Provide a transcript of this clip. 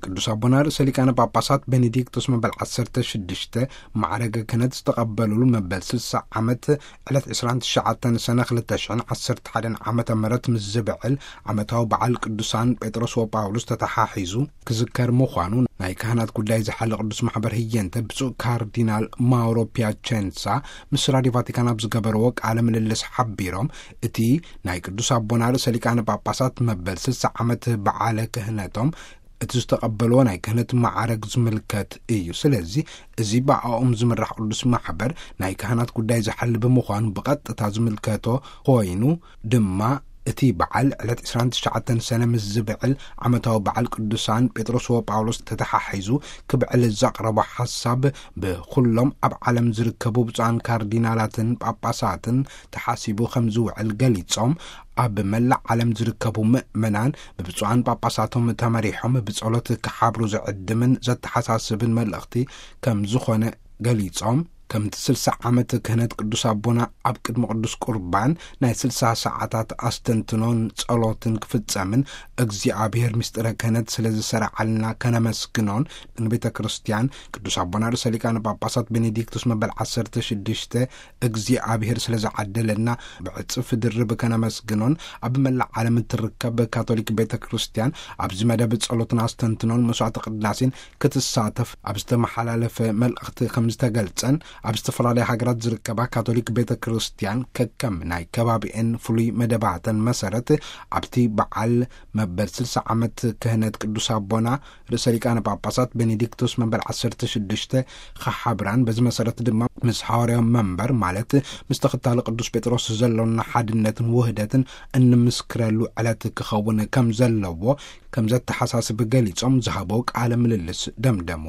ቅዱስ ኣቦና ርእሰ ሊቃነ ጳጳሳት ቤኔዲክቶስ መበል ዓሰርተ ሽዱሽተ ማዕረገ ክህነት ዝተቐበሉሉ መበል ስልሳ ዓመት ዕለት ዕስራን ትሽዓተን ሰነ ክልተ ሽሕን ዓሰርተ ሓደን ዓመተ ምህረት ምስ ዝብዕል ዓመታዊ በዓል ቅዱሳን ጴጥሮስ ወጳውሎስ ተተሓሒዙ ክዝከር ምዃኑ ናይ ካህናት ጉዳይ ዝሓለ ቅዱስ ማሕበር ህየንተ ብፁዕ ካርዲናል ማውሮ ፒያቸንሳ ምስ ራዲዮ ቫቲካን ኣብ ዝገበርዎ ቃለ ምልልስ ሓቢሮም፣ እቲ ናይ ቅዱስ ኣቦና ርእሰ ሊቃነ ጳጳሳት መበል ስልሳ ዓመት በዓለ ክህነቶም እቲ ዝተቐበልዎ ናይ ክህነት ማዕረግ ዝምልከት እዩ። ስለዚ እዚ ብኣኦም ዝምራሕ ቅዱስ ማሕበር ናይ ካህናት ጉዳይ ዝሓል ብምዃኑ ብቐጥታ ዝምልከቶ ኮይኑ ድማ እቲ በዓል ዕለት ዕስራን ትሽዓተን ሰነ ምስ ዝብዕል ዓመታዊ በዓል ቅዱሳን ጴጥሮስ ወጳውሎስ ተተሓሒዙ ክብዕል ዘቕረቦ ሓሳብ ብኩሎም ኣብ ዓለም ዝርከቡ ብፁዓን ካርዲናላትን ጳጳሳትን ተሓሲቡ ከም ዝውዕል ገሊጾም፣ ኣብ መላእ ዓለም ዝርከቡ ምእመናን ብብፁዓን ጳጳሳቶም ተመሪሖም ብጸሎት ክሓብሩ ዝዕድምን ዘተሓሳስብን መልእኽቲ ከም ዝኾነ ገሊጾም፣ ከምቲ ስልሳ ዓመት ክህነት ቅዱስ ኣቦና ኣብ ቅድሚ ቅዱስ ቁርባን ናይ ስልሳ ሰዓታት ኣስተንትኖን ጸሎትን ክፍጸምን እግዚኣብሔር ምስጢረ ክህነት ስለ ዝሰረዓልና ከነመስግኖን ንቤተ ክርስቲያን ቅዱስ ኣቦና ርእሰ ሊቃነ ጳጳሳት ቤኔዲክቱስ መበል ዓሰርተ ሽዱሽተ እግዚኣብሔር ስለ ዝዓደለና ብዕጽፍ ድርብ ከነመስግኖን ኣብ መላእ ዓለም እትርከብ ካቶሊክ ቤተ ክርስቲያን ኣብዚ መደብ ጸሎትን ኣስተንትኖን መስዋዕተ ቅዳሴን ክትሳተፍ ኣብ ዝተመሓላለፈ መልእኽቲ ከም ዝተገልጸን፣ ኣብ ዝተፈላለያ ሃገራት ዝርከባ ካቶሊክ ቤተ ክርስቲያን ከከም ናይ ከባቢኤን ፍሉይ መደባተን መሰረት ኣብቲ በዓል መበል ስልሳ ዓመት ክህነት ቅዱስ ኣቦና ርእሰ ሊቃነ ጳጳሳት ቤኔዲክቶስ መበል ዓሰርተ ሽዱሽተ ክሓብራን፣ በዚ መሰረት ድማ ምስ ሃዋርያዊ መንበር ማለት ምስ ተኸታሊ ቅዱስ ጴጥሮስ ዘሎና ሓድነትን ውህደትን እንምስክረሉ ዕለት ክኸውን ከም ዘለዎ ከም ዘተሓሳስብ ገሊጾም ዝሃቦ ቃለ ምልልስ ደምደሙ።